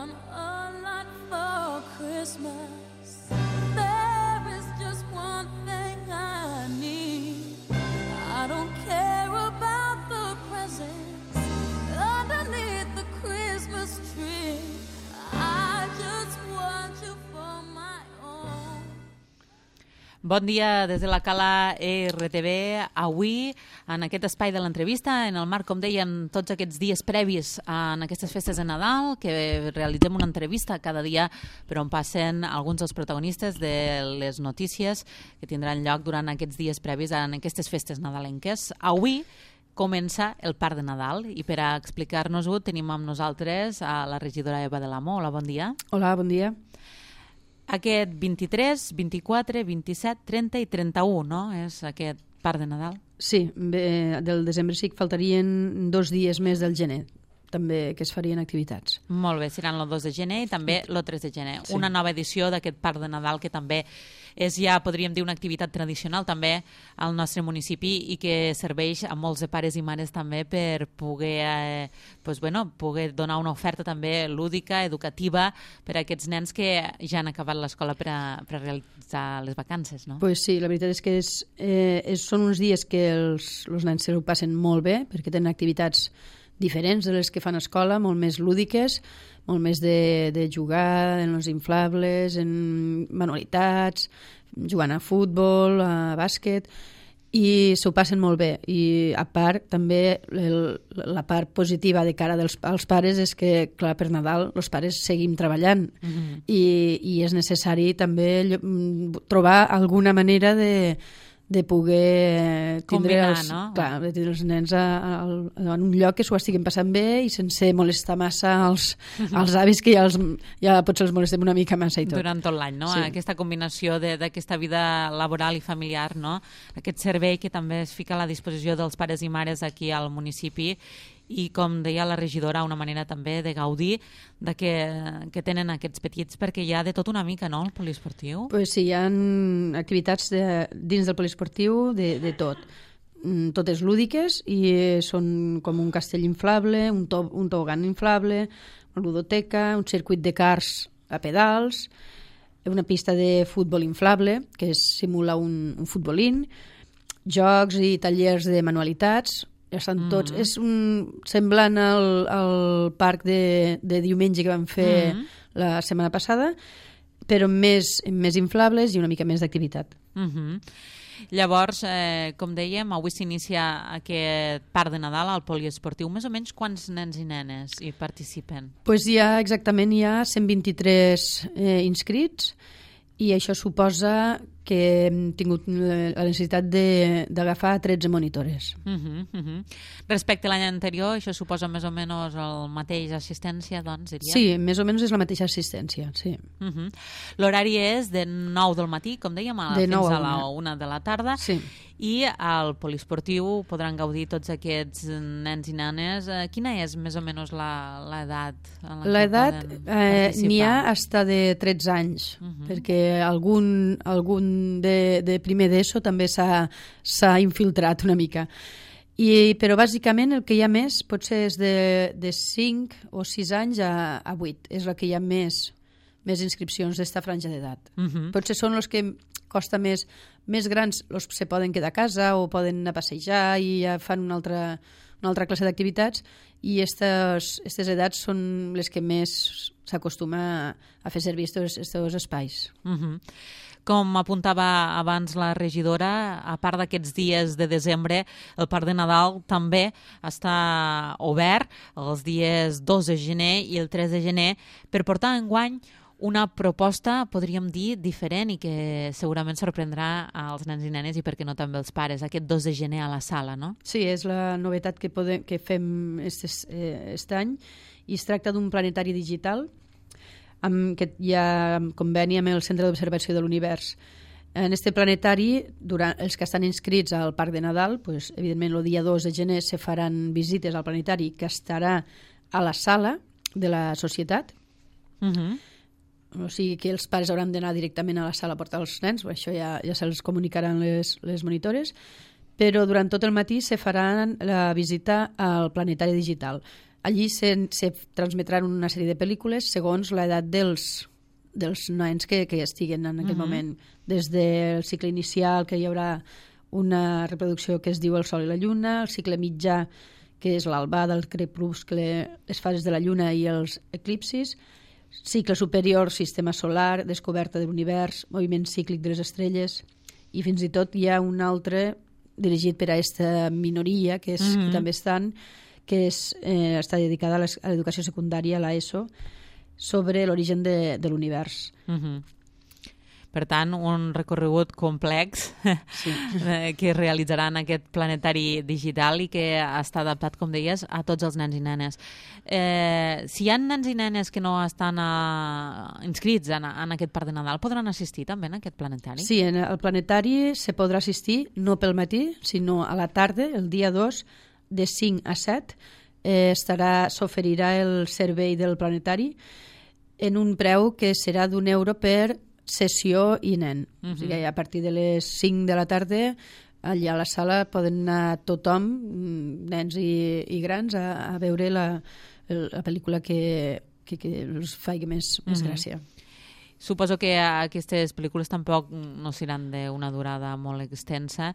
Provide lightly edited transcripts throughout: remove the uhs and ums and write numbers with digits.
want a lot for Christmas. There is just one thing I need. I don't care about the presents underneath the Christmas tree. I just want you for my own. Bon dia des de la Cala RTV. Avui, en aquest espai de l'entrevista, en el marc, com dèiem, tots aquests dies previs en aquestes festes de Nadal, que realitzem una entrevista cada dia per on passen alguns dels protagonistes de les notícies que tindran lloc durant aquests dies previs en aquestes festes nadalenques. Avui comença el Parc de Nadal i per a explicar-nos-ho tenim amb nosaltres a la regidora Eva de l'Amo. Hola, bon dia. Hola, bon dia. Aquest 23, 24, 27, 30 i 31, no? És aquest Parc de Nadal. Sí, del desembre sí que faltarien 2 dies més del gener, també que es farien activitats. Molt bé, seran el 2 de gener i també el 3 de gener. Sí. Una nova edició d'aquest Parc de Nadal que també és ja, podríem dir, una activitat tradicional també al nostre municipi i que serveix a molts de pares i mares també per poder, poder donar una oferta també lúdica, educativa per a aquests nens que ja han acabat l'escola per a realitzar les vacances, no? Pues sí, la veritat és que són uns dies que els nens se ho passen molt bé perquè tenen activitats diferents de les que fan a escola, molt més lúdiques, molt més de jugar en els inflables, en manualitats, jugant a futbol, a bàsquet, i s'ho passen molt bé. I a part, també, la part positiva de cara als pares és que, clar, per Nadal els pares seguim treballant i és necessari també trobar alguna manera de poder tindre tindre els nens en un lloc que s'ho estiguin passant bé i sense molestar massa els avis, que ja potser els molestem una mica massa i tot. Durant tot l'any, no? Sí. Aquesta combinació d'aquesta vida laboral i familiar, no? Aquest servei que també es fica a la disposició dels pares i mares aquí al municipi i, com deia la regidora, una manera també de gaudir de que tenen aquests petits, perquè hi ha de tot una mica, no?, el poliesportiu. Pues sí, hi ha activitats dins del poliesportiu de tot. Totes lúdiques i són com un castell inflable, un tobogan inflable, una ludoteca, un circuit de cars a pedals, una pista de futbol inflable que simula un futbolín, jocs i tallers de manualitats. Estan tots, és semblant al parc de diumenge que vam fer la setmana passada, però més inflables i una mica més d'activitat. Llavors, com dèiem, avui s'inicia aquest Parc de Nadal al poliesportiu. Més o menys quants nens i nenes hi participen? Pues hi ha 123 inscrits i això suposa que hem tingut la necessitat d'agafar 13 monitores. Respecte a l'any anterior, això suposa més o menys el mateix assistència, doncs, diria? Sí, més o menys és la mateixa assistència, sí. L'horari és de 9 del matí, com dèiem, fins a la 1 de la tarda, sí. I al poliesportiu podran gaudir tots aquests nens i nenes. Quina és més o menys l'edat en la l'edat que poden participar? N'hi ha fins de 13 anys, perquè algun de primer d'ESO també s'ha infiltrat una mica. Però bàsicament el que hi ha més potser és de 5 o 6 anys a 8. És el que hi ha més inscripcions d'esta franja d'edat. Potser són els que costa més grans, els se poden quedar a casa o poden anar a passejar i ja fan una altra classe d'activitats, i aquestes edats són les que més s'acostuma a fer servir aquests espais. Com apuntava abans la regidora, a part d'aquests dies de desembre, el Parc de Nadal també està obert els dies 2 de gener i el 3 de gener per portar enguany una proposta, podríem dir, diferent i que segurament sorprendrà als nens i nenes i, per què no, també els pares, aquest 2 de gener a la sala, no? Sí, és la novetat que fem aquest any, i es tracta d'un planetari digital que hi ha conveni amb el Centre d'Observació de l'Univers. En este planetari, els que estan inscrits al Parc de Nadal, pues, evidentment el dia 2 de gener se faran visites al planetari, que estarà a la sala de la societat. O sigui que els pares hauran d'anar directament a la sala a portar els nens, això ja se'ls comunicaran les monitores, però durant tot el matí se farà la visita al planetari digital. allí se transmetran una sèrie de pel·lícules segons l'edat dels nens que estiguen en aquell moment. Des del cicle inicial, que hi haurà una reproducció que es diu El Sol i la Lluna, el cicle mitjà, que és l'albà del crepuscle, les fases de la Lluna i els eclipsis, cicle superior, sistema solar, descoberta de l'univers, moviment cíclic de les estrelles, i fins i tot hi ha un altre dirigit per a aquesta minoria, que també estan, que està dedicada a l'educació secundària, a l'ESO, sobre l'origen de l'univers. Per tant, un recorregut complex que es realitzarà en aquest planetari digital i que està adaptat, com deies, a tots els nens i nenes. Si hi ha nens i nenes que no estan inscrits en aquest Parc de Nadal, podran assistir també en aquest planetari? Sí, en el planetari se podrà assistir no pel matí, sinó a la tarda, el dia 2, de 5 a 7, s'oferirà el servei del planetari en un preu que serà d'€1 per sessió i nen. O sigui, a partir de les 5 de la tarda allà a la sala poden anar tothom, nens i grans, a veure la pel·lícula que els faci més gràcia. Suposo que aquestes pel·lícules tampoc no seran d'una durada molt extensa.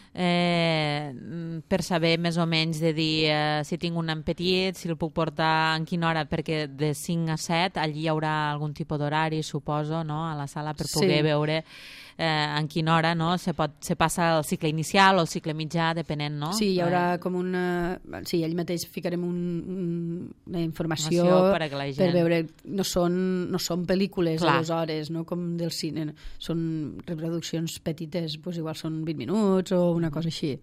Per saber més o menys de dir si tinc un nen petit, si el puc portar en quina hora, perquè de 5 a 7 allí hi haurà algun tipus d'horari, suposo, no? A la sala per poder veure en quina hora se passa el cicle inicial o el cicle mitjà, depenent, no? Sí, hi haurà com una... Sí, allà mateix ficarem una informació per veure... No són pel·lícules de 2 hores, no com del cine. Són reproduccions petites, doncs igual són 20 minuts o una cosa així.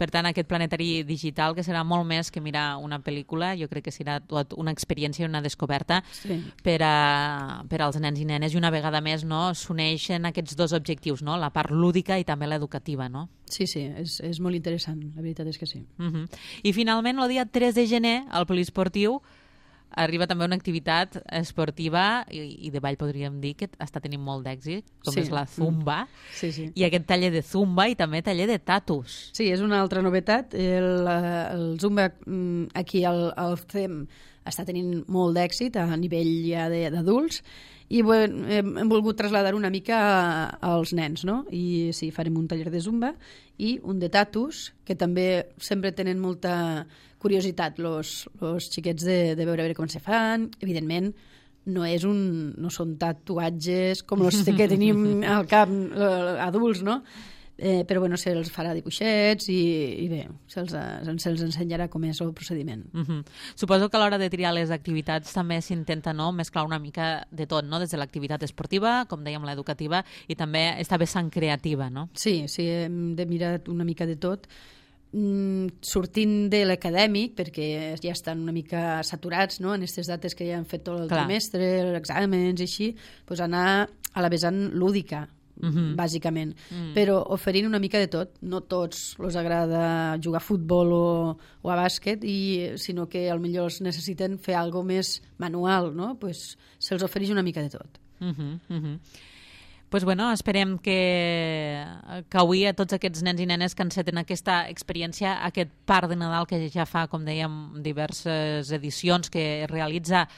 Per tant, aquest planetari digital, que serà molt més que mirar una pel·lícula, jo crec que serà tot una experiència i una descoberta per als nens i nenes, i una vegada més s'uneixen aquests dos objectius, no? La part lúdica i també l'educativa, no? Sí, és molt interessant, la veritat és que sí. I finalment, el dia 3 de gener, al poliesportiu, arriba també una activitat esportiva i de ball, podríem dir, que està tenint molt d'èxit, com és la Zumba. I aquest taller de Zumba i també taller de tatus. Sí, és una altra novetat. El Zumba aquí al CEM està tenint molt d'èxit a nivell ja d'adults, i hem volgut traslladar una mica als nens, no? I sí, farem un taller de Zumba i un de tatus, que també sempre tenen molta curiositat los xiquets de veure com se fan. Evidentment, no són tatuatges com els que tenim al cap adults, no? Però bueno, se'ls farà dibuixets i bé, se'ls ensenyarà com és el procediment. Suposo que a l'hora de triar les activitats també s'intenta mesclar una mica de tot, no? Des de l'activitat esportiva, com dèiem, l'educativa, i també esta vessant creativa, no? Sí, hem de mirar una mica de tot, sortint de l'acadèmic, perquè ja estan una mica saturats, no? En aquestes dates que ja han fet tot el trimestre, els exàmens i així, doncs anar a la vessant lúdica, bàsicament, però oferint una mica de tot. No tots els agrada jugar a futbol o a bàsquet, sinó que potser els necessiten fer alguna cosa més manual, no? Pues se'ls ofereix una mica de tot. Pues bueno, esperem que avui a tots aquests nens i nenes que enceten aquesta experiència, aquest Parc de Nadal que ja fa, com dèiem, diverses edicions que realitza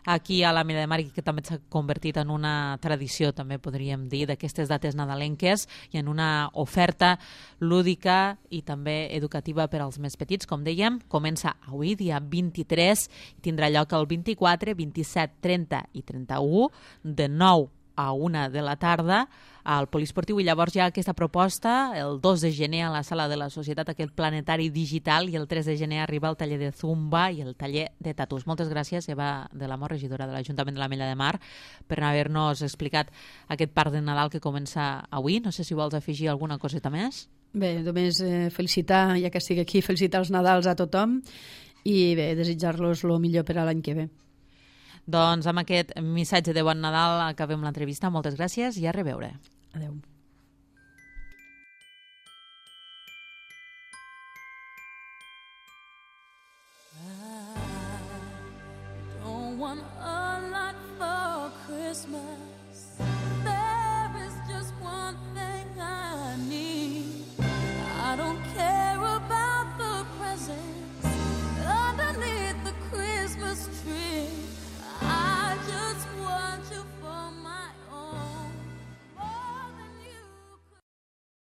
aquí a la Milla de Mar i que també s'ha convertit en una tradició, també podríem dir, d'aquestes dates nadalenques i en una oferta lúdica i també educativa per als més petits. Com dèiem, comença avui, dia 23, i tindrà lloc el 24, 27, 30 i 31, de 9 a 1 de la tarda al poliesportiu, i llavors hi ha aquesta proposta el 2 de gener a la sala de la Societat, aquest planetari digital, i el 3 de gener arriba el taller de Zumba i el taller de tatus. Moltes gràcies, Eva de la Mor, regidora de l'Ajuntament de la Mella de Mar, per haver-nos explicat aquest Parc de Nadal que comença avui. No sé si vols afegir alguna coseta més. Bé, només felicitar, ja que estic aquí, felicitar els Nadals a tothom i bé, desitjar-los el millor per a l'any que ve. Doncs amb aquest missatge de bon Nadal acabem l'entrevista. Moltes gràcies i a reveure. Adéu. I don't want a lot for Christmas.